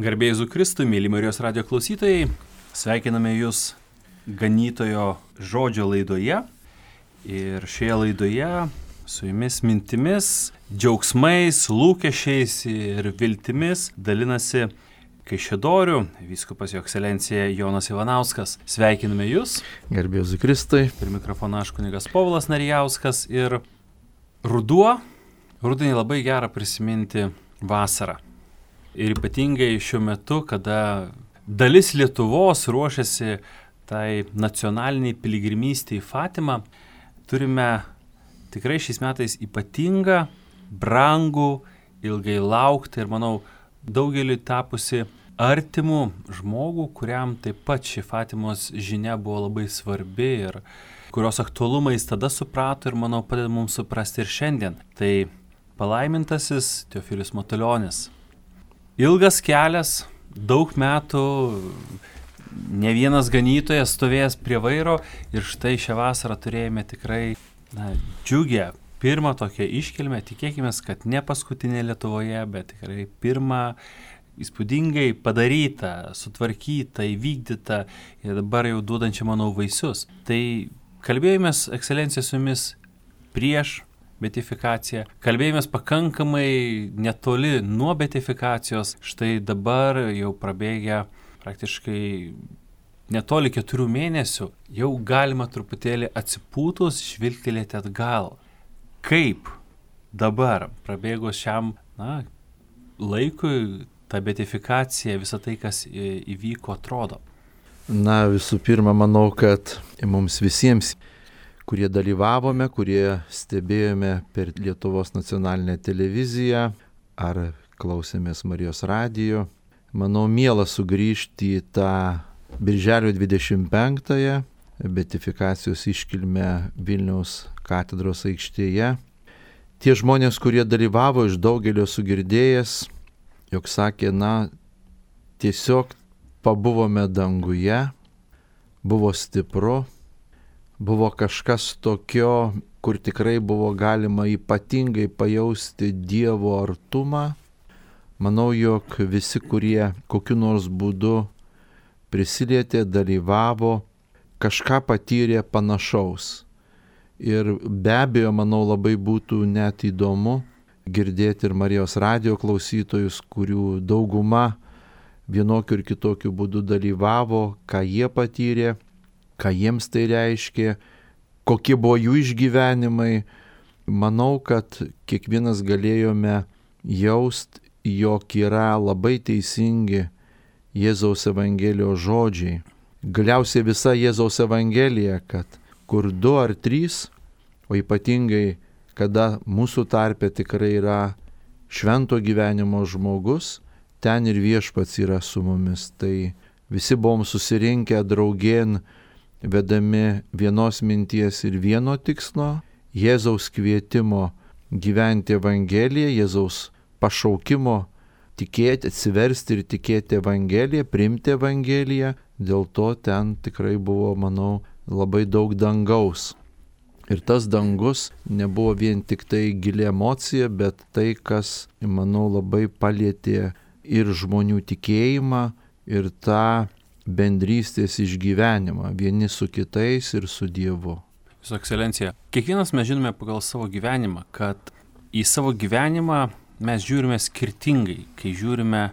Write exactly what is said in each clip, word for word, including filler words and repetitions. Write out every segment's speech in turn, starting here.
Garbė Jėzui Kristui, mėly Marijos radijo klausytojai, sveikiname Jūs ganytojo žodžio laidoje ir šioje laidoje su Jumis mintimis, džiaugsmais, lūkesčiais ir viltimis dalinasi Kaišiadorių vyskupas Jo ekscelencija Jonas Ivanauskas. Sveikiname Jūs. Garbė Jėzui Kristui. Ir mikrofoną aš kunigas Povilas Narijauskas. Ir ruduo, rudenį labai gera prisiminti vasarą. Ir ypatingai šiuo metu, kada dalis Lietuvos ruošiasi tai nacionaliniai piligrimystei į Fatimą, turime tikrai šiais metais ypatingą, brangų, ilgai lauktą ir, manau, daugeliui tapusi artimų žmogų, kuriam taip pat ši Fatimos žinia buvo labai svarbi ir kurios aktualumą jis tada suprato ir, manau, padeda mums suprasti ir šiandien. Tai palaimintasis Teofilius Matulionis. Ilgas kelias, daug metų, ne vienas ganytojas stovėjęs prie vairo ir štai šią vasarą turėjome tikrai na, džiugę pirmą tokią iškilmę, tikėkime, kad ne paskutinė Lietuvoje, bet tikrai pirmą įspūdingai padarytą, sutvarkytą, įvykdytą ir dabar jau duodančią, manau, vaisius. Tai kalbėjomės, ekscelencija, su Jumis prieš beatifikaciją. Kalbėjomės pakankamai netoli nuo beatifikacijos. Štai dabar jau prabėgę praktiškai netoli keturių mėnesių. Jau galima truputėlį atsipūtus žvilgtelėti atgal. Kaip dabar prabėgus šiam na, laikui ta beatifikacija, visa tai, kas įvyko, atrodo? Na, visų pirma, manau, kad mums visiems, kurie dalyvavome, kurie stebėjome per Lietuvos nacionalinę televiziją ar klausėmės Marijos radijo. Manau, miela sugrįžti į tą birželio dvidešimt penktąją beatifikacijos iškilmę Vilniaus katedros aikštėje. Tie žmonės, kurie dalyvavo, iš daugelio sugirdėjęs, jog sakė, na, tiesiog pabuvome danguje, buvo stipru, buvo kažkas tokio, kur tikrai buvo galima ypatingai pajausti Dievo artumą. Manau, jog visi, kurie kokiu nors būdu prisilietė, dalyvavo, kažką patyrė panašaus. Ir be abejo, manau, labai būtų net įdomu girdėti ir Marijos radijo klausytojus, kurių dauguma vienokiu ir kitokiu būdu dalyvavo, ką jie patyrė, ką jiems tai reiškė, kokie buvo jų išgyvenimai. Manau, kad kiekvienas galėjome jaust, jog yra labai teisingi Jėzaus Evangelijos žodžiai. Galiausiai visa Jėzaus Evangelija, kad kur du ar trys, o ypatingai, kada mūsų tarpe tikrai yra švento gyvenimo žmogus, ten ir Viešpats yra su mumis. Tai visi buvom susirinkę draugėn, vedami vienos minties ir vieno tikslo, Jėzaus kvietimo gyventi Evangeliją, Jėzaus pašaukimo tikėti, atsiversti ir tikėti Evangeliją, priimti Evangeliją. Dėl to ten tikrai buvo, manau, labai daug dangaus. Ir tas dangus nebuvo vien tik tai gili emocija, bet tai, kas, manau, labai palietė ir žmonių tikėjimą, ir tą bendrystės išgyvenimą vieni su kitais ir su Dievu. Jūsų ekscelencija, kiekvienas mes žinome pagal savo gyvenimą, kad į savo gyvenimą mes žiūrime skirtingai, kai žiūrime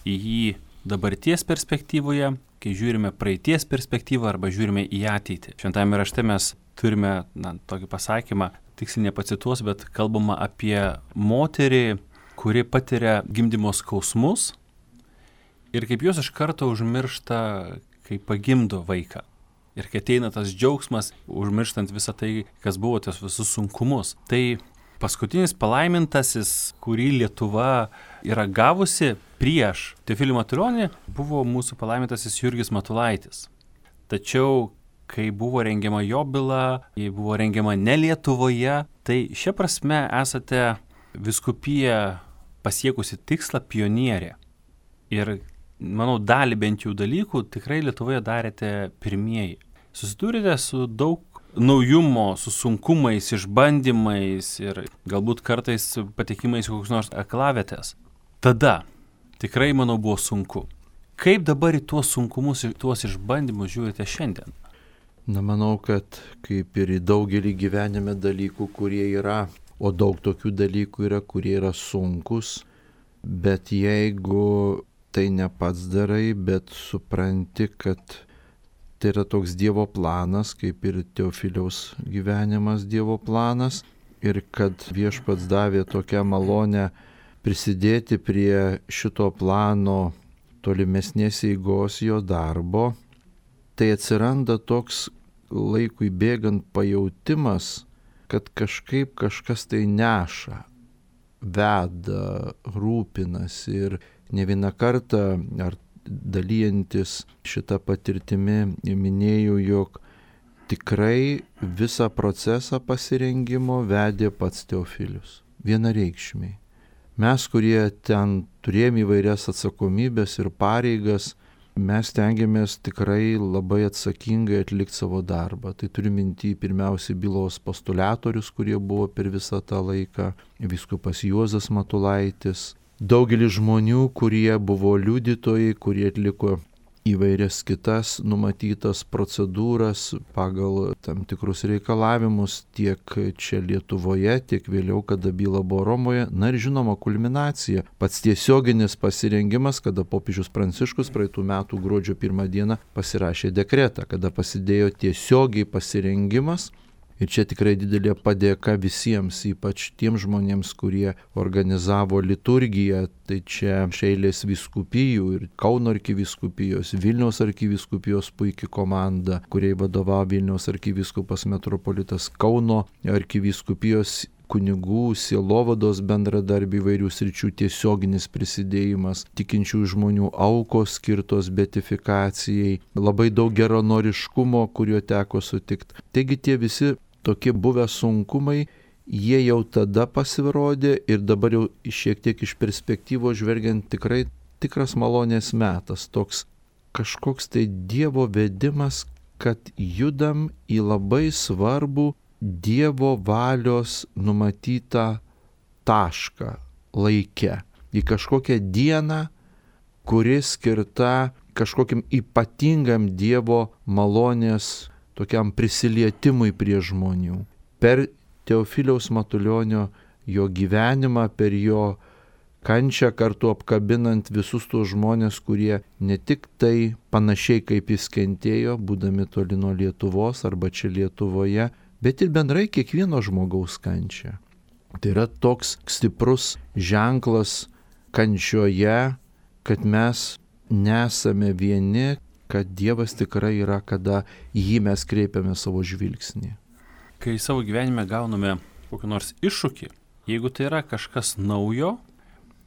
į jį dabarties perspektyvoje, kai žiūrime praeities perspektyvą arba žiūrime į ateitį. Šventajame rašte mes turime na, tokį pasakymą, tiksliai nepacituos, bet kalbama apie moterį, kuri patiria gimdymo skausmus ir kaip jos iš karto užmiršta, kai pagimdo vaiką. Ir kai ateina tas džiaugsmas, užmirštant visą tai, kas buvo, tos visus sunkumus. Tai paskutinis palaimintasis, kurį Lietuva yra gavusi prieš Teofilį Matulionį, buvo mūsų palaimintasis Jurgis Matulaitis. Tačiau, kai buvo rengiama jo byla, ji buvo rengiama ne Lietuvoje, tai šia prasme esate vyskupija pasiekusi tikslą pionierė. Ir manau, dalį bent jau dalykų tikrai Lietuvoje darėte pirmieji. Susidūrėte su daug naujumo, su sunkumais, išbandymais ir galbūt kartais patekimais kokius nors aklavietės. Tada tikrai, manau, buvo sunku. Kaip dabar į tuos sunkumus, į tuos išbandymus žiūrite šiandien? Na, manau, kad kaip ir į daugelį gyvenime dalykų, kurie yra, o daug tokių dalykų yra, kurie yra sunkus, bet jeigu tai ne pats darai, bet supranti, kad tai yra toks Dievo planas, kaip ir Teofiliaus gyvenimas Dievo planas, ir kad Viešpats davė tokią malonę prisidėti prie šito plano tolimesnės eigos jo darbo, tai atsiranda toks laikui bėgant pajautimas, kad kažkaip kažkas tai neša, veda, rūpinasi. Ir ne vieną kartą, ar dalyjantis šitą patirtimi, minėjau, jog tikrai visą procesą pasirengimo vedė pats Teofilius. Vienareikšmiai. Mes, kurie ten turėjome įvairias atsakomybės ir pareigas, mes tengiamės tikrai labai atsakingai atlikti savo darbą. Tai turiu minty pirmiausiai bylos postuliatorius, kurie buvo per visą tą laiką, vyskupas Juozas Matulaitis, daugelis žmonių, kurie buvo liudytojai, kurie atliko įvairias kitas numatytas procedūras pagal tam tikrus reikalavimus tiek čia Lietuvoje, tiek vėliau, kada byla buvo Romoje. Na ir žinoma, kulminacija, pats tiesioginis pasirengimas, kada popiežius Pranciškus praeitų metų gruodžio pirmą dieną pasirašė dekretą, kada pasidėjo tiesiogiai pasirengimas. Ir čia tikrai didelė padėka visiems, ypač tiems žmonėms, kurie organizavo liturgiją. Tai čia eilės vyskupijų ir Kauno arkivyskupijos, Vilniaus arkivyskupijos puikia komanda, kuriai vadovavo Vilniaus arkivyskupas metropolitas, Kauno arkivyskupijos kunigų, sielovados bendradarbių įvairių sričių tiesioginis prisidėjimas, tikinčių žmonių aukos skirtos beatifikacijai, labai daug geranoriškumo, kuriuo teko sutikti. Taigi tie visi tokie buvę sunkumai, jie jau tada pasirodė ir dabar jau šiek tiek iš perspektyvos žvelgiant tikrai tikras malonės metas, toks kažkoks tai Dievo vedimas, kad judam į labai svarbų Dievo valios numatytą tašką laike, į kažkokią dieną, kuri skirta kažkokiam ypatingam Dievo malonės tokiam prisilietimui prie žmonių. Per Teofiliaus Matulionio jo gyvenimą, per jo kančią kartu apkabinant visus tuos žmonės, kurie ne tik tai panašiai kaip jis kentėjo, būdami toli nuo Lietuvos arba čia Lietuvoje, bet ir bendrai kiekvieno žmogaus kančią. Tai yra toks stiprus ženklas kančioje, kad mes nesame vieni, kad Dievas tikrai yra, kada jį mes kreipiame savo žvilgsnį. Kai savo gyvenime gauname kokį nors iššūkį, jeigu tai yra kažkas naujo,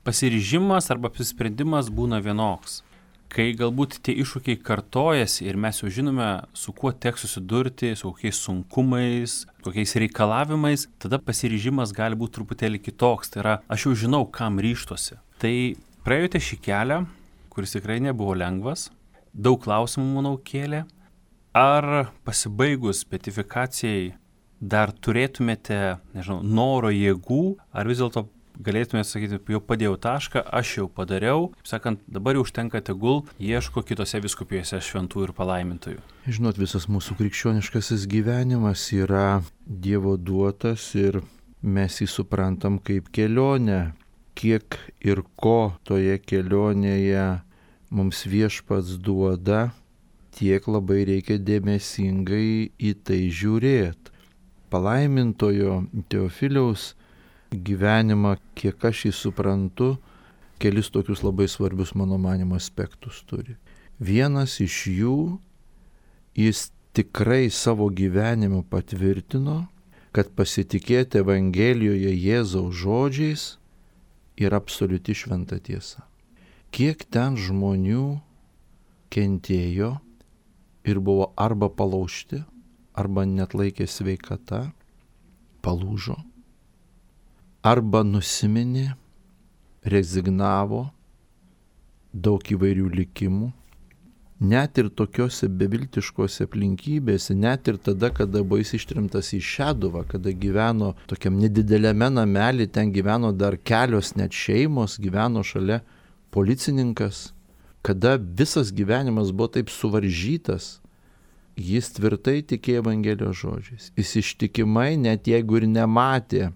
pasiryžimas arba apsisprendimas būna vienoks. Kai galbūt tie iššūkiai kartojasi ir mes jau žinome, su kuo teks susidurti, su kokiais sunkumais, kokiais reikalavimais, tada pasiryžimas gali būti truputėlį kitoks. Tai yra, aš jau žinau, kam ryžtuosi. Tai praėjote šį kelią, kuris tikrai nebuvo lengvas, daug klausimų, manau, kėlė. Ar pasibaigus beatifikacijai dar turėtumėte, nežinau, noro, jėgų, ar vis dėlto galėtumėte sakyti, jau padėjau tašką, aš jau padariau, kaip sakant, dabar jau užtenka tegul, ieško kitose vyskupijose šventų ir palaimintojų. Žinot, visas mūsų krikščioniškasis gyvenimas yra Dievo duotas ir mes jį suprantam kaip kelionę. Kiek ir ko toje kelionėje mums Viešpats duoda, tiek labai reikia dėmesingai į tai žiūrėti. Palaimintojo Teofiliaus gyvenimą, kiek aš jį suprantu, kelis tokius labai svarbius mano manymo aspektus turi. Vienas iš jų, jis tikrai savo gyvenimu patvirtino, kad pasitikėti Evangelijoje Jėzaus žodžiais yra absoliuti šventa tiesa. Kiek ten žmonių kentėjo ir buvo arba palaužti, arba net laikė sveikata, palūžo, arba nusiminė, rezignavo, daug įvairių likimų. Net ir tokiose beviltiškose aplinkybėse, net ir tada, kada buvo jis ištrimtas į Šeduvą, kada gyveno tokiam nedideliame namelį, ten gyveno dar kelios net šeimos, gyveno šalia policininkas, kada visas gyvenimas buvo taip suvaržytas, jis tvirtai tikėjo Evangelijos žodžiais. Jis ištikimai, net jeigu ir nematė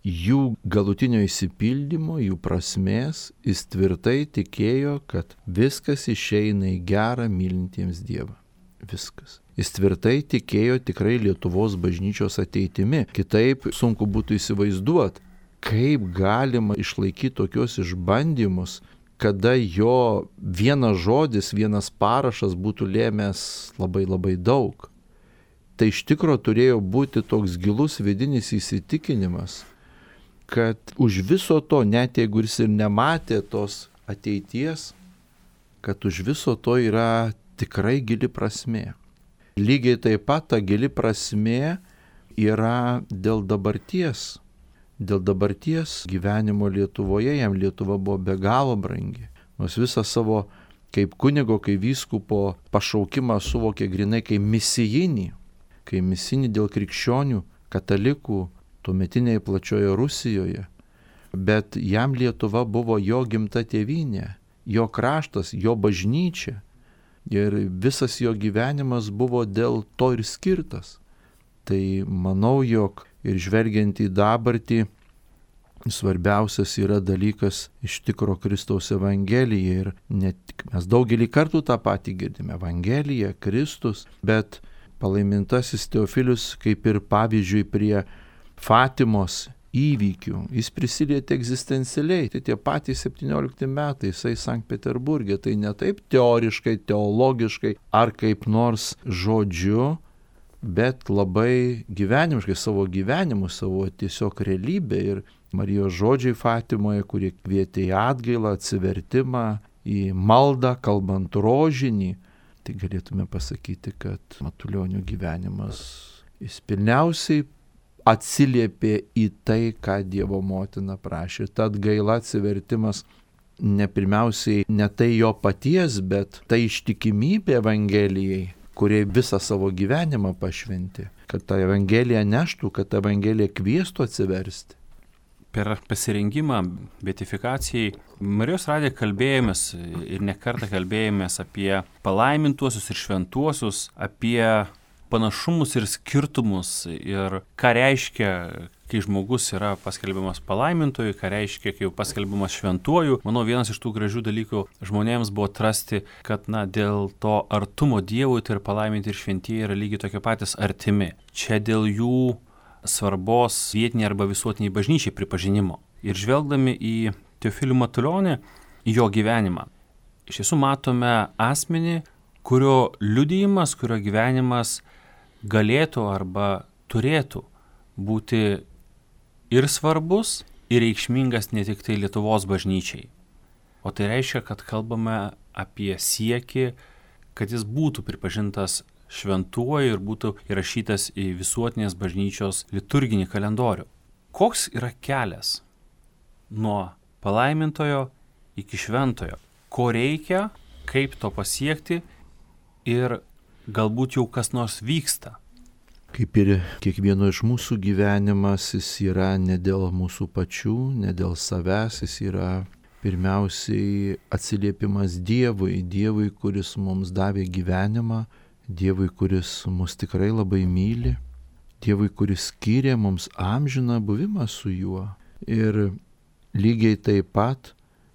jų galutinio išsipildymo, jų prasmės, jis tvirtai tikėjo, kad viskas išeina į gerą mylintiems Dievą. Viskas. Jis tvirtai tikėjo tikrai Lietuvos bažnyčios ateitimi. Kitaip sunku būtų įsivaizduoti, kaip galima išlaikyti tokius išbandymus, kada jo vienas žodis, vienas parašas būtų lėmęs labai labai daug. Tai iš tikro turėjo būti toks gilus vidinis įsitikinimas, kad už viso to, net jeigu jis ir nematė tos ateities, kad už viso to yra tikrai gili prasmė. Lygiai taip pat ta gili prasmė yra dėl dabarties. Dėl dabarties gyvenimo Lietuvoje, jam Lietuva buvo be galo brangi. Nors visą savo kaip kunigo, kaip vyskupo pašaukimą suvokė grinai kaip misijinį, kaip misijinį dėl krikščionių, katalikų, tuometinėje plačioje Rusijoje. Bet jam Lietuva buvo jo gimta tėvynė, jo kraštas, jo bažnyčia. Ir visas jo gyvenimas buvo dėl to ir skirtas. Tai manau, jog ir žvelgiant į dabartį, svarbiausias yra dalykas iš tikro Kristaus Evangelija. Ir ne tik mes daugelį kartų tą patį girdime. Evangelija, Kristus, bet palaimintasis Teofilius kaip ir pavyzdžiui prie Fatimos įvykių. Jis prisilietė egzistencialiai. Tai tie patys septyniolikti metai, jisai Sankt Peterburge. Tai ne taip teoriškai, teologiškai ar kaip nors žodžiu, bet labai gyvenimiškai savo gyvenimu, savo tiesiog realybę. Ir Marijos žodžiai Fatimoje, kurie kvietė į atgailą, atsivertimą, į maldą, kalbant rožinį. Tai galėtume pasakyti, kad Matulionio gyvenimas jis pilniausiai atsiliepė į tai, ką Dievo motina prašė. Tad gaila atsivertimas ne pirmiausiai ne tai jo paties, bet tai ištikimybė Evangelijai, kurie visą savo gyvenimą pašventė, kad tą Evangeliją neštų, kad tą Evangeliją kviestų atsiversti. Per pasirengimą beatifikacijai Marijos radiją kalbėjomės ir ne kartą kalbėjomės apie palaimintuosius ir šventuosius, apie panašumus ir skirtumus ir ką reiškia, kai žmogus yra paskelbiamas palaimintoju, ką reiškia, kai jau paskelbiamas šventuoju. Manau, vienas iš tų gražių dalykų žmonėms buvo atrasti, kad na, dėl to artumo Dievui tai ir palaiminti ir šventieji yra lygiai tokie patys artimi. Čia dėl jų svarbos vietiniai arba visuotiniai bažnyčiai pripažinimo. Ir žvelgdami į Teofilių Matulionį, į jo gyvenimą, iš tiesų matome asmenį, kurio liudijimas, kurio gyvenimas galėtų arba turėtų būti ir svarbus, ir reikšmingas ne tik tai Lietuvos bažnyčiai. O tai reiškia, kad kalbame apie siekį, kad jis būtų pripažintas šventuoju ir būtų įrašytas į visuotinės bažnyčios liturginį kalendorių. Koks yra kelias nuo palaimintojo iki šventojo? Ko reikia, kaip to pasiekti ir galbūt jau kas nors vyksta? Kaip ir kiekvieno iš mūsų gyvenimas, jis yra ne dėl mūsų pačių, ne dėl savęs, jis yra pirmiausiai atsiliepimas Dievui, Dievui, kuris mums davė gyvenimą, Dievui, kuris mus tikrai labai myli, Dievui, kuris skyrė mums amžiną buvimą su juo. Ir lygiai taip pat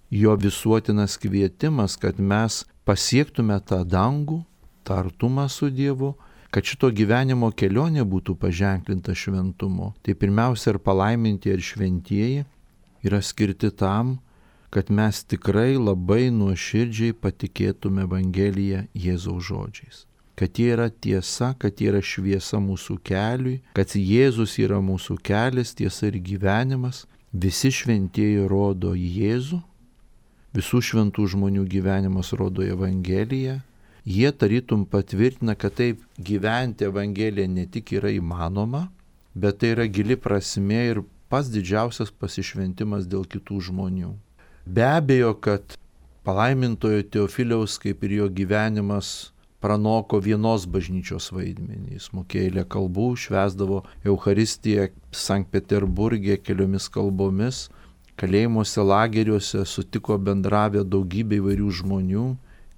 jo visuotinas kvietimas, kad mes pasiektume tą dangų, tą artumą su Dievu, kad šito gyvenimo kelionė būtų paženklinta šventumu. Tai pirmiausia ir palaiminti ir šventieji yra skirti tam, kad mes tikrai labai nuoširdžiai patikėtume Evangeliją Jėzaus žodžiais. Kad jie yra tiesa, kad jie yra šviesa mūsų keliui, kad Jėzus yra mūsų kelias, tiesa ir gyvenimas. Visi šventieji rodo Jėzų, visų šventų žmonių gyvenimas rodo Evangeliją. Jie tarytum patvirtina, kad taip gyventi Evangeliją ne tik yra įmanoma, bet tai yra gili prasmė ir pats didžiausias pasišventimas dėl kitų žmonių. Be abejo, kad palaimintojo Teofiliaus, kaip ir jo gyvenimas, pranoko vienos bažnyčios vaidmenį. Jis mokėjo eilę kalbų, švęsdavo Eucharistiją Sankt Peterburge keliomis kalbomis, kalėjimuose, lageriuose sutiko bendravę daugybę įvairių žmonių,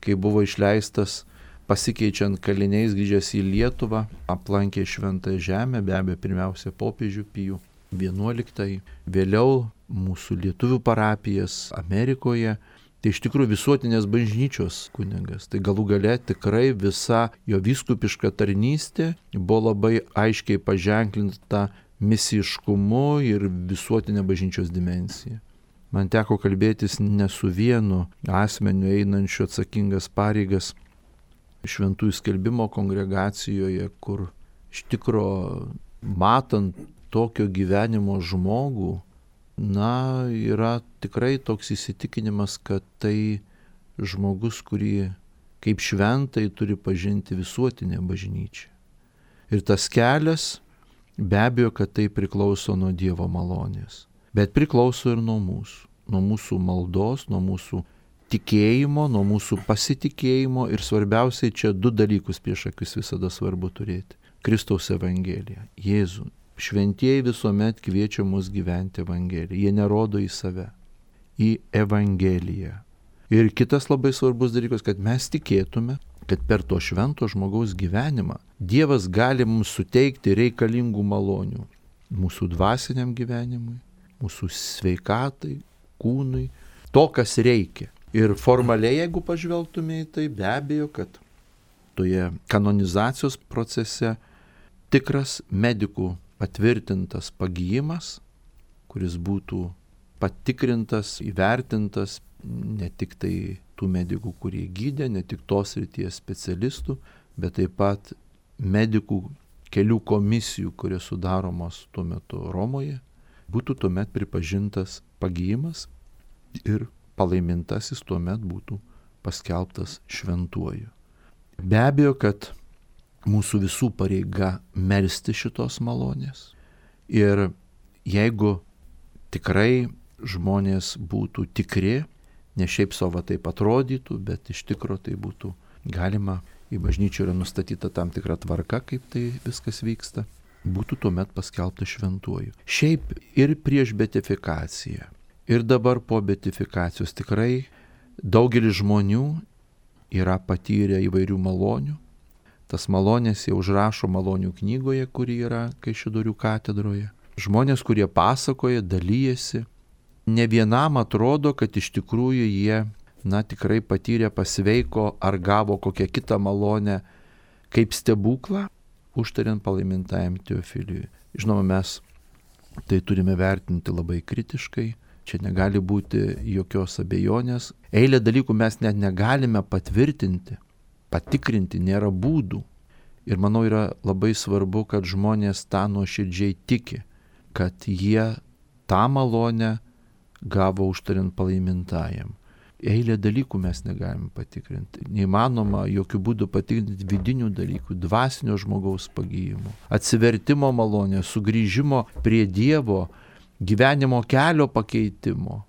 kai buvo išleistas pasikeičiant kaliniais grįžęs į Lietuvą, aplankė Šventąją Žemę, be abejo pirmiausia popiežių Pijų vienuoliktąjį, vėliau mūsų lietuvių parapijas Amerikoje. Tai iš tikrųjų visuotinės bažnyčios kunigas. Tai galų gale tikrai visa jo vyskupiška tarnystė buvo labai aiškiai paženklinta misiškumu ir visuotinė bažnyčios dimensija. Man teko kalbėtis ne su vienu asmeniu einančiu atsakingas pareigas šventųjų skelbimo kongregacijoje, kur iš tikro matant tokio gyvenimo žmogų, na, yra tikrai toks įsitikinimas, kad tai žmogus, kurį kaip šventai turi pažinti visuotinė bažnyčia. Ir tas kelias, be abejo, kad tai priklauso nuo Dievo malonės, bet priklauso ir nuo mūsų, nuo mūsų maldos, nuo mūsų tikėjimo, nuo mūsų pasitikėjimo ir svarbiausiai čia du dalykus prieš akis visada svarbu turėti. Kristaus Evangelija, Jėzų. Šventieji visuomet kviečia mus gyventi Evangeliją. Jie nerodo į save, į Evangeliją. Ir kitas labai svarbus dalykas, kad mes tikėtume, kad per to švento žmogaus gyvenimą Dievas gali mums suteikti reikalingų malonių mūsų dvasiniam gyvenimui, mūsų sveikatai, kūnui, to, kas reikia. Ir formaliai, jeigu pažvelgtume į tai, be abejo, kad toje kanonizacijos procese tikras medikų patvirtintas pagijimas, kuris būtų patikrintas, įvertintas ne tik tai tų medikų, kurie gydė, ne tik tos srities specialistų, bet taip pat medikų kelių komisijų, kurios sudaromos tuo metu Romoje, būtų tuomet pripažintas pagijimas ir palaimintasis tuomet būtų paskelbtas šventuoju. Be abejo, kad mūsų visų pareiga melsti šitos malonės. Ir jeigu tikrai žmonės būtų tikri, ne šiaip savo taip atrodytų, bet iš tikro tai būtų galima, į bažnyčią yra nustatyta tam tikra tvarka, kaip tai viskas vyksta, būtų tuomet paskelbta šventuoju. Šiaip ir prieš beatifikaciją, ir dabar po beatifikacijos tikrai daugelis žmonių yra patyrę įvairių malonių. Tas malonės jau užrašo malonių knygoje, kuri yra Kaišiadorių katedroje. Žmonės, kurie pasakoja, dalyjasi, ne vienam atrodo, kad iš tikrųjų jie, na, tikrai patyrė, pasveiko ar gavo kokią kitą malonę kaip stebuklą, užtariant palaimintajam Teofiliui. Žinoma, mes tai turime vertinti labai kritiškai, čia negali būti jokios abejonės. Eilę dalykų mes net negalime patvirtinti. Patikrinti nėra būdų. Ir manau yra labai svarbu, kad žmonės tą nuoširdžiai tiki, kad jie tą malonę gavo užtariant palaimintajam. Eilę dalykų mes negalime patikrinti. Neįmanoma jokių būdų patikrinti vidinių dalykų, dvasinio žmogaus pagijimo, atsivertimo malonės, sugrįžimo prie Dievo, gyvenimo kelio pakeitimo.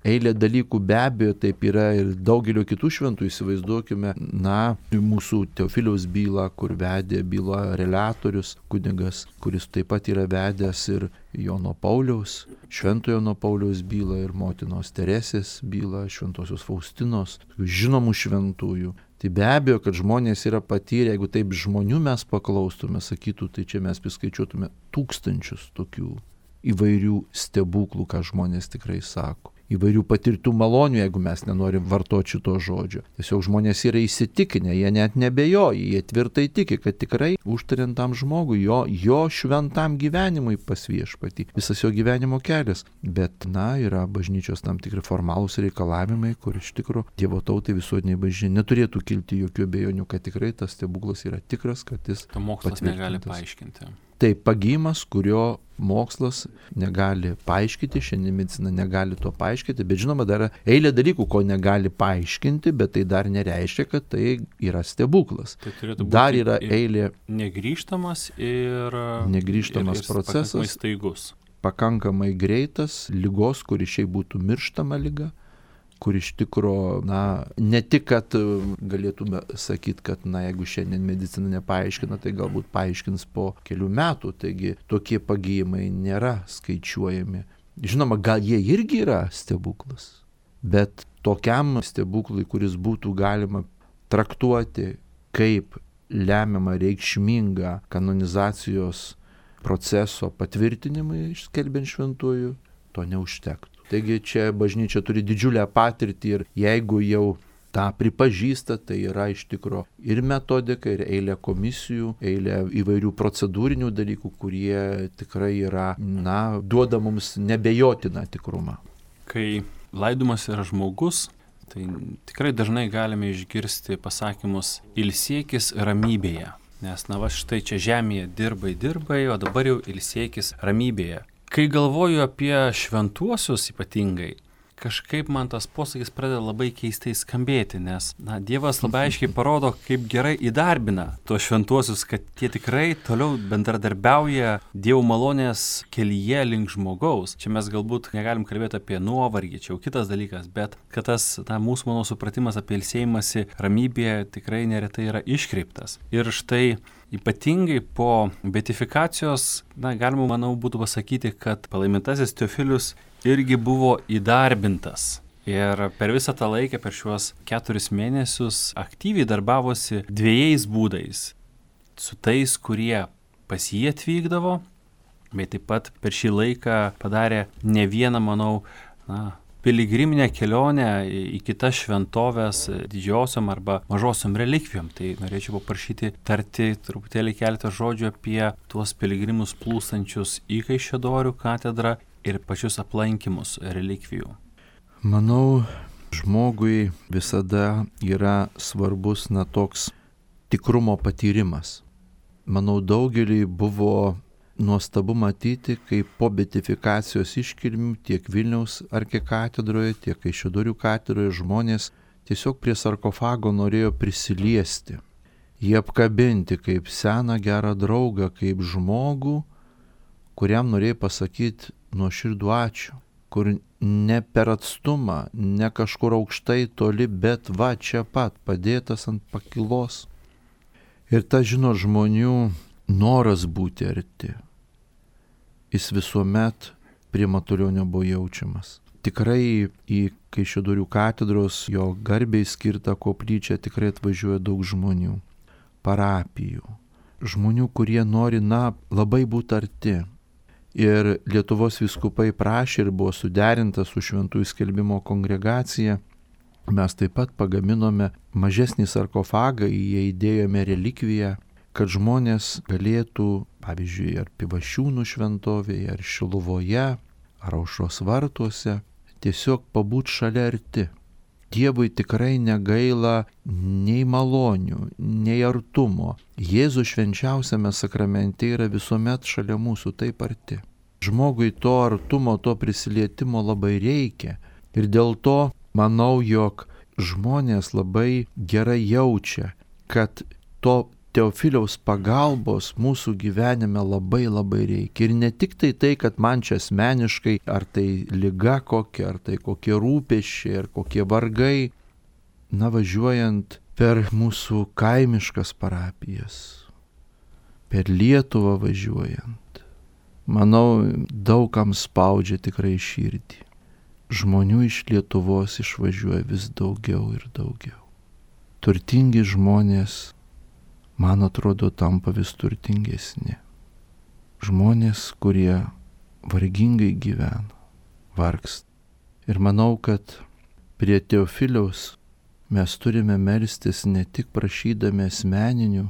Eilė dalykų be abejo taip yra ir daugelio kitų šventų, įsivaizduokime, na, mūsų Teofiliaus bylą, kur vedė bylą reliatorius, kunigas, kuris taip pat yra vedęs ir Jono Pauliaus, šventojo Jono Pauliaus bylą ir motinos Teresės bylą, šventosios Faustinos, žinomų šventųjų. Tai be abejo, kad žmonės yra patyrę, jeigu taip žmonių mes paklaustume, sakytų, tai čia mes priskaičiuotume tūkstančius tokių įvairių stebuklų, ką žmonės tikrai sako. Įvairių patirtų malonių, jeigu mes nenorim vartoti šito žodžio. Tiesiog žmonės yra įsitikinę, jie net nebejoja, jie tvirtai tiki, kad tikrai užtariantam žmogui, jo, jo šventam gyvenimui pas Viešpatį, visas jo gyvenimo kelias. Bet, na, yra bažnyčios tam tikri formalūs reikalavimai, kur iš tikro Dievo tautai visuotiniai bažnyčiai neturėtų kilti jokių abejonių, kad tikrai tas stebuklas yra tikras, kad jis to mokslas negali paaiškinti. Tai pagijimas, kurio mokslas negali paaiškinti, šiandien medicina negali to paaiškinti, bet žinoma, dar eilė dalykų, ko negali paaiškinti, bet tai dar nereiškia, kad tai yra stebuklas. Tai turėtų būti dar yra eilė negrįžtamas ir, negrįžtamas ir, ir procesas, pakankamai staigus. Pakankamai greitas, ligos, kuri šiaip būtų mirštama liga, kur iš tikro, na, ne tik, kad galėtume sakyti, kad, na, jeigu šiandien medicina nepaaiškina, tai galbūt paaiškins po kelių metų, taigi tokie pagijimai nėra skaičiuojami Žinoma, gal jie irgi yra stebuklas, bet tokiam stebuklui, kuris būtų galima traktuoti kaip lemiamą reikšmingą kanonizacijos proceso patvirtinimui išskelbiant šventųjų, to neužtektų. Taigi čia bažnyčia turi didžiulę patirtį ir jeigu jau tą pripažįsta, tai yra iš tikro ir metodika, ir eilė komisijų, eilė įvairių procedūrinių dalykų, kurie tikrai yra, na, duoda mums nebejotiną tikrumą. Kai laidomas yra žmogus, tai tikrai dažnai galime išgirsti pasakymus ilsėkis ramybėje. Nes, na, va štai čia žemėje dirbai, dirbai, o dabar jau ilsėkis ramybėje. Kai galvoju apie šventuosius ypatingai, kažkaip man tas posakis pradeda labai keistai skambėti, nes, na, Dievas labai aiškiai parodo, kaip gerai įdarbina tuos šventuosius, kad tie tikrai toliau bendradarbiauja Dievo malonės kelyje link žmogaus. Čia mes galbūt negalim kalbėti apie nuovargį, čia jau kitas dalykas, bet kad tas, na, mūsų, mano supratimas apie ilsėjimąsi ramybėje tikrai neretai yra iškreiptas. Ir štai ypatingai po beatifikacijos, na, galima, manau, būtų pasakyti, kad palaimintasis Teofilius irgi buvo įdarbintas. Ir per visą tą laiką, per šiuos keturis mėnesius, aktyviai darbavosi dviejais būdais. Su tais, kurie pas jį atvykdavo, bet taip pat per šį laiką padarė ne vieną, manau, na, piligriminę kelionę į kitas šventovės didžiosiom arba mažosiom relikvijom. Tai norėčiau paprašyti tarti truputėlį keletą žodžių apie tuos piligrimus plūstančius į Kaišiadorių katedrą ir pačius aplankymus relikvijų. Manau, žmogui visada yra svarbus, na, toks tikrumo patyrimas. Manau, daugeliui buvo nuostabu matyti, kaip po beatifikacijos iškilmių tiek Vilniaus arkikatedroje, tiek Kaišiadorių katedroje žmonės tiesiog prie sarkofago norėjo prisiliesti, jį apkabinti kaip seną gerą draugą, kaip žmogų, kuriam norėjo pasakyti nuoširdų ačiū, kur ne per atstumą, ne kažkur aukštai toli, bet va čia pat, padėtas ant pakilos. Ir ta, žino, žmonių noras būti arti, jis visuomet prie Matulionio buvo jaučiamas. Tikrai į Kaišiadorių katedros jo garbiai skirtą koplyčią tikrai atvažiuoja daug žmonių, parapijų, žmonių, kurie nori, na, labai būti arti. Ir Lietuvos vyskupai prašė ir buvo suderinta su Šventųjų skelbimo kongregacija. Mes taip pat pagaminome mažesnį sarkofagą, į jį įdėjome relikviją, kad žmonės galėtų, pavyzdžiui, ar Pivašiūnų šventovėje, ar Šiluvoje, ar Aušros vartuose, tiesiog pabūti šalia arti. Dievui tikrai negaila nei malonių, nei artumo. Jėzus švenčiausiame sakramente yra visuomet šalia mūsų taip arti. Žmogui to artumo, to prisilietimo labai reikia. Ir dėl to manau, jog žmonės labai gerai jaučia, kad to Teofiliaus pagalbos mūsų gyvenime labai labai reikia. Ir ne tik tai tai, kad man čia asmeniškai, ar tai liga kokia, ar tai kokie rūpesčiai, ar kokie vargai, na, važiuojant per mūsų kaimiškas parapijas, per Lietuvą važiuojant, manau, daugam spaudžia tikrai širdį. Žmonių iš Lietuvos išvažiuoja vis daugiau ir daugiau. Turtingi žmonės, man atrodo, tampa vis turtingesni. Žmonės, kurie vargingai gyvena, vargsta. Ir manau, kad prie Teofiliaus mes turime melstis ne tik prašydami asmeninių,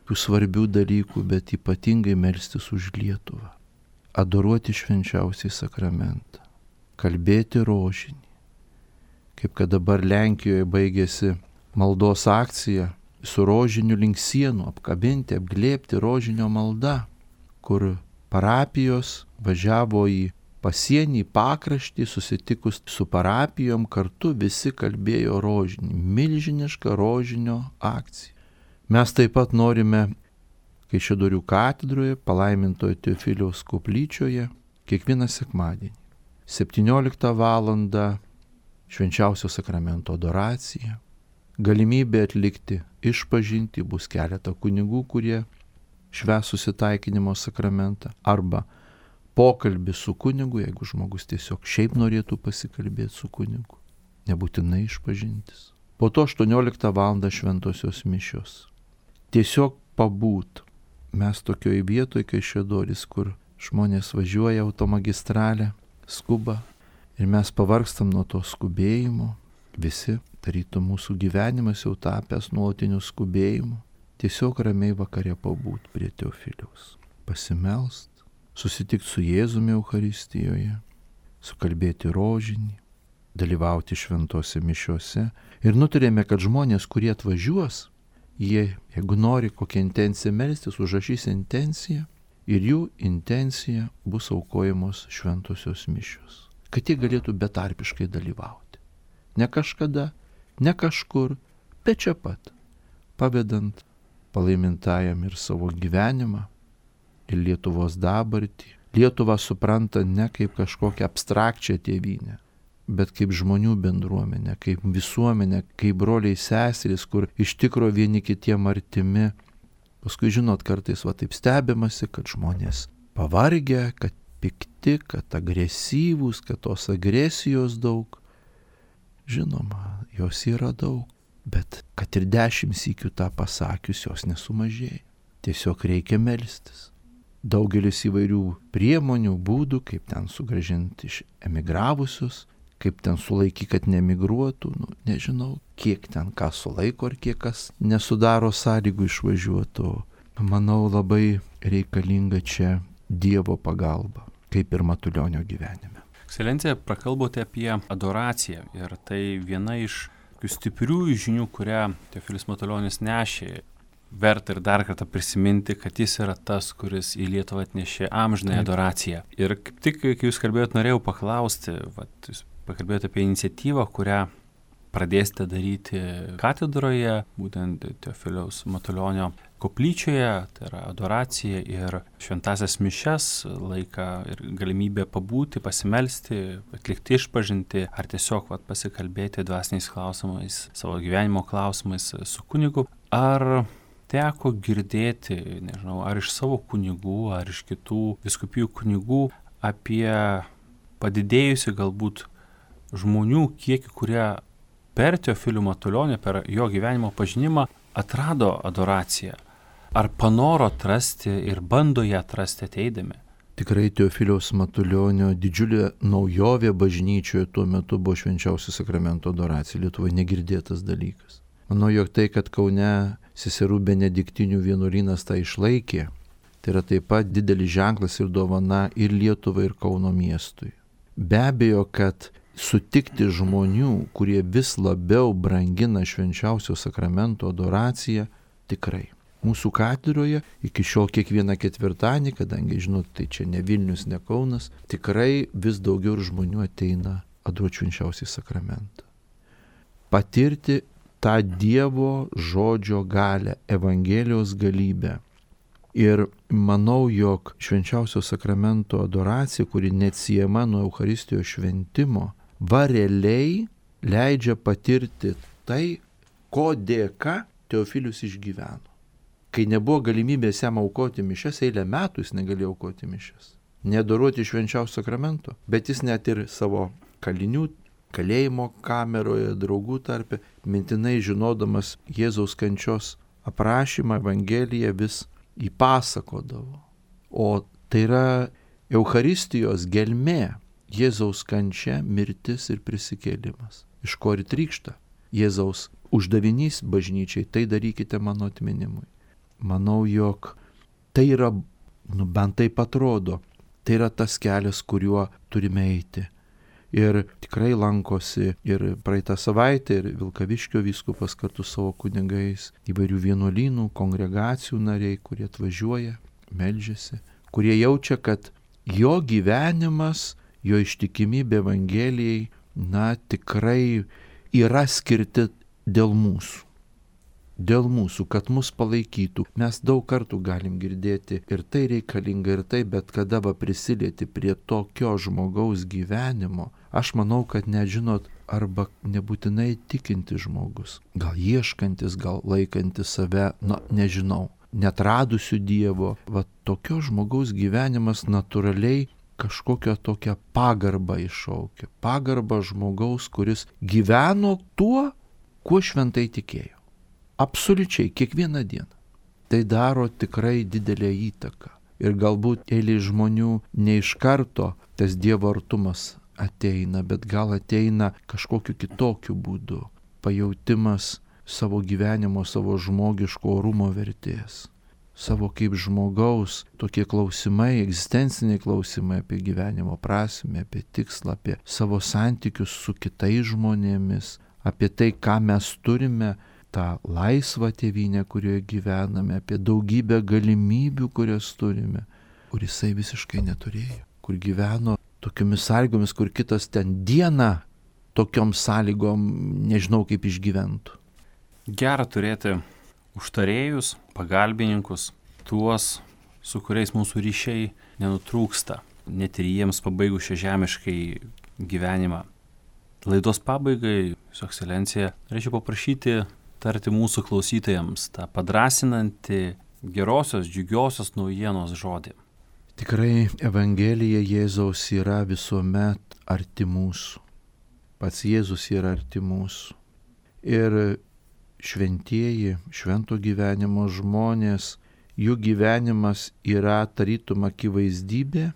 tų svarbių dalykų, bet ypatingai melstis už Lietuvą. Adoruoti švenčiausiai sakramentą, kalbėti rožinį. Kaip kad dabar Lenkijoje baigėsi maldos akcija, su rožiniu link sienų, apkabinti, apglėbti rožinio malda, kur parapijos važiavo į pasienį, pakraštį, susitikus su parapijom, kartu visi kalbėjo rožinį, milžinišką rožinio akciją. Mes taip pat norime Kaišiadorių katedroje, palaimintojo Teofiliaus koplyčioje, kiekvieną sekmadienį, septynioliktą valandą švenčiausio sakramento adoracija, galimybė atlikti išpažintį, bus keletą kunigų, kurie švęs susitaikinimo sakramentą, arba pokalbį su kunigu, jeigu žmogus tiesiog šiaip norėtų pasikalbėti su kunigu, nebūtinai išpažintis. Po to aštuonioliktą valandą šventosios mišios. Tiesiog pabūt. Mes tokioj vietoj, kai Kaišiadorys, kur žmonės važiuoja automagistralę, skuba ir mes pavargstam nuo to skubėjimo. Visi, tarytum mūsų gyvenimas jau tapęs nuolatiniu skubėjimu. Tiesiog ramiai vakare pabūt prie Teofiliaus. Pasimelst, susitikti su Jėzumi Eucharistijoje, sukalbėti rožinį, dalyvauti šventose mišiose. Ir nutarėme, kad žmonės, kurie atvažiuos, jie, jeigu nori kokią intenciją melstis, užrašys intenciją ir jų intencija bus aukojamos šventosios mišios. Kad jie galėtų betarpiškai dalyvauti. Ne kažkada, ne kažkur, bet čia pat, pavedant palaimintajam ir savo gyvenimą, ir Lietuvos dabartį. Lietuvą supranta ne kaip kažkokią abstrakčią tėvynę, bet kaip žmonių bendruomenę, kaip visuomenę, kaip broliai seserys, kur iš tikro vieni kitiem artimi. Paskui, žinot, kartais va taip stebimasi, kad žmonės pavargę, kad pikti, kad agresyvūs, kad tos agresijos daug. Žinoma, jos yra daug, bet kad ir dešimt sykių tą pasakius, jos nesumažėja. Tiesiog reikia melstis. Daugelis įvairių priemonių, būdų, kaip ten sugrąžinti iš emigravusius, kaip ten sulaikyti, kad nemigruotų, nu, nežinau, kiek ten ką sulaiko ar kiek kas nesudaro sąlygų išvažiuotų. Manau, labai reikalinga čia Dievo pagalba, kaip ir Matulionio gyvenime. Ekscelencija, prakalbote apie adoraciją ir tai viena iš stiprių žinių, kurią Teofilis Matulionis nešė. Verta ir dar kartą prisiminti, kad jis yra tas, kuris į Lietuvą atnešė amžinąją adoraciją. Ir kaip tik, kai jūs kalbėjot, norėjau paklausti, vat, jūs pakalbėjote apie iniciatyvą, kurią pradėsite daryti katedroje, būtent Teofiliaus Matulionio koplyčioje, tai yra adoracija ir šventasias mišias, laiką ir galimybę pabūti, pasimelsti, atlikti išpažinti, ar tiesiog vat, pasikalbėti dvasiniais klausimais, savo gyvenimo klausimais su kunigu. Ar teko girdėti, nežinau, ar iš savo kunigų, ar iš kitų vyskupijų kunigų apie padidėjusi galbūt žmonių kiekį, kurie per Teofilių Matulionį, per jo gyvenimo pažinimą atrado adoraciją? Ar panoro atrasti ir bando ją atrasti ateidami? Tikrai Teofiliaus Matulionio didžiulė naujovė bažnyčioje tuo metu buvo švenčiausio sakramento adoracija. Lietuvoje negirdėtas dalykas. Manau, jog tai, kad Kaune seserų benediktinių vienuolynas tą išlaikė, tai yra taip pat didelis ženklas ir dovana ir Lietuvai, ir Kauno miestui. Be abejo, kad sutikti žmonių, kurie vis labiau brangina švenčiausio sakramento adoraciją, tikrai. Mūsų katedroje iki šiol kiekvieną ketvirtadienį, kadangi, žinot, tai čia ne Vilnius, ne Kaunas, tikrai vis daugiau žmonių ateina adoruoti švenčiausią sakramentą. Patirti tą Dievo žodžio galę, Evangelijos galybę. Ir manau, jog švenčiausio sakramento adoracija, kuri neatsiejama nuo Eucharistijos šventimo, va realiai leidžia patirti tai, ko dėka Teofilius išgyveno. Kai nebuvo galimybės jam aukoti mišias, eilę metų jis negalėjo aukoti mišias. Neadoruoti švenčiausio sakramento, bet jis net ir savo kalinių, kalėjimo kameroje, draugų tarpe, mintinai žinodamas Jėzaus kančios aprašymą, Evangeliją vis įpasakodavo. O tai yra Eucharistijos gelmė, Jėzaus kančia, mirtis ir prisikėlimas. Iš ko ir trykšta Jėzaus uždavinys bažnyčiai, tai darykite mano atminimui. Manau, jog tai yra, nu bent taip atrodo, tai yra tas kelias, kuriuo turime eiti. Ir tikrai lankosi ir praeitą savaitę, ir Vilkaviškio vyskupas kartu savo kunigais, įvairių vienuolynų, kongregacijų nariai, kurie atvažiuoja, meldžiasi, kurie jaučia, kad jo gyvenimas, jo ištikimybė Evangelijai, na tikrai yra skirti dėl mūsų. Dėl mūsų, kad mus palaikytų. Mes daug kartų galim girdėti ir tai reikalinga ir tai, bet kada va prisilieti prie tokio žmogaus gyvenimo, aš manau, kad nežinot, arba nebūtinai tikinti žmogus, gal ieškantis, gal laikantis save, na nežinau, neatradusių Dievo, va tokio žmogaus gyvenimas natūraliai kažkokią tokią pagarbą iššaukia. Pagarbą žmogaus, kuris gyveno tuo, kuo šventai tikėjo. Absoliučiai, kiekvieną dieną. Tai daro tikrai didelę įtaką. Ir galbūt eilei žmonių ne iš karto tas Dievo artumas ateina, bet gal ateina kažkokiu kitokiu būdu. Pajautimas savo gyvenimo, savo žmogiško orumo vertės. Savo kaip žmogaus tokie klausimai, egzistenciniai klausimai apie gyvenimo prasmę, apie tikslą, apie savo santykius su kitais žmonėmis, apie tai, ką mes turime, tą laisvą tėvynę, kurioje gyvename, apie daugybę galimybių, kurias turime, kur jisai visiškai neturėjo, kur gyveno tokiomis sąlygomis, kur kitas ten dieną tokiom sąlygom nežinau kaip išgyventų. Gera turėti užtarėjus, pagalbininkus, tuos, su kuriais mūsų ryšiai nenutrūksta, net ir jiems pabaigus šią žemiškai gyvenimą. Laidos pabaigai, Jūsų ekscelencija, norėčiau paprašyti tarti mūsų klausytojams tą padrasinantį gerosios, džiugiosios naujienos žodį. Tikrai Evangelija Jėzaus yra visuomet arti mūsų. Pats Jėzus yra arti mūsų. Ir šventieji, švento gyvenimo žmonės, jų gyvenimas yra tarytum akivaizdybė,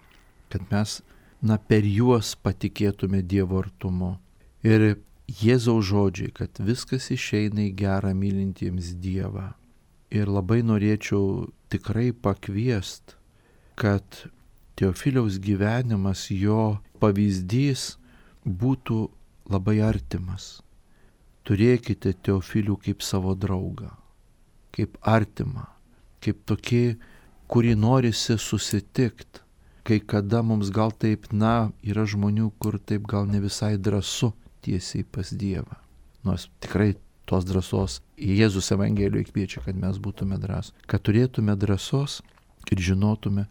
kad mes, na, per juos patikėtume Dievo artumu. Ir Jėzaus žodžiai, kad viskas išeina į gerą mylintiems Dievą. Ir labai norėčiau tikrai pakviest, kad Teofiliaus gyvenimas, jo pavyzdys būtų labai artimas. Turėkite Teofilių kaip savo draugą, kaip artimą, kaip tokį, kurį norisi susitikti. Kai kada mums gal taip, na, yra žmonių, kur taip gal ne visai drąsu tiesiai pas Dievą. Nors tikrai tos drąsos Jėzus Evangelijoje kviečia, kad mes būtume drąsūs. Kad turėtume drąsos ir žinotume,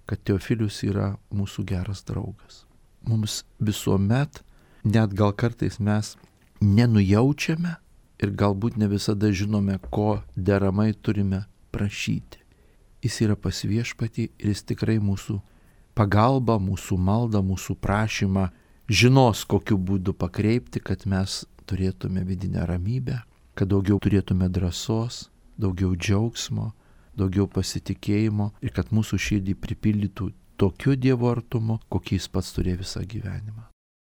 kad Teofilius yra mūsų geras draugas. Mums visuomet, net gal kartais mes nenujaučiame ir galbūt ne visada žinome, ko deramai turime prašyti. Jis yra pas Viešpatį ir jis tikrai mūsų pagalbą, mūsų maldą, mūsų prašymą žinos, kokiu būdu pakreipti, kad mes turėtume vidinę ramybę, kad daugiau turėtume drąsos, daugiau džiaugsmo, daugiau pasitikėjimo ir kad mūsų širdį pripildytų tokiu Dievo artumu, kokį jis pats turėjo visą gyvenimą.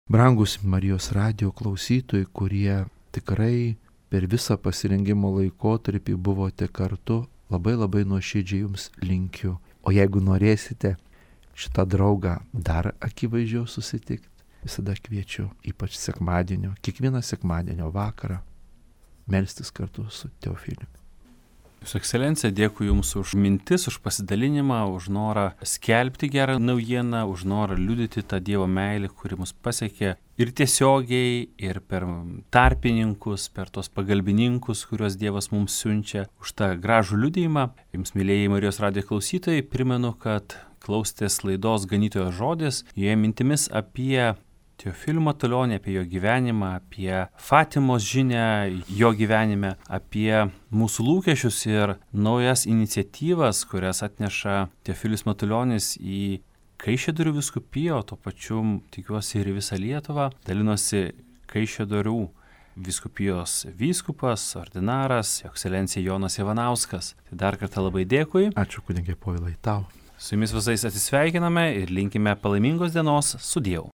Brangus Marijos radijo klausytojai, kurie tikrai per visą pasirengimo laikotarpį buvote kartu, labai labai nuoširdžiai jums linkiu. O jeigu norėsite šitą draugą dar akivaizdžiau susitikti, visada kviečiu, ypač sekmadienio, kiekvieną sekmadienio vakarą, melstis kartu su Teofiliumi. Jūsų ekscelencija, dėkui Jums už mintis, už pasidalinimą, už norą skelbti gerą naujieną, už norą liudyti tą Dievo meilę, kuri mus pasiekė ir tiesiogiai, ir per tarpininkus, per tos pagalbininkus, kuriuos Dievas mums siunčia, už tą gražų liudijimą. Jums, mylėjai Marijos radijo klausytojai, primenu, kad klausėtės laidos Ganytojo žodis, joje mintimis apie Teofilių Matulionį, apie jo gyvenimą, apie Fatimos žinią jo gyvenime, apie mūsų lūkesčius ir naujas iniciatyvas, kurias atneša Teofilius Matulionis į Kaišiadorių vyskupiją, o tuo pačiu tikiuosi ir į visą Lietuvą. Dalinosi Kaišiadorių vyskupijos vyskupas, ordinaras, jo ekscelencija Jonas Ivanauskas. Tai dar kartą labai dėkui. Ačiū, kunige Povilai, tau. Su jumis visais atsisveikiname ir linkime palaimingos dienos. Sudiev.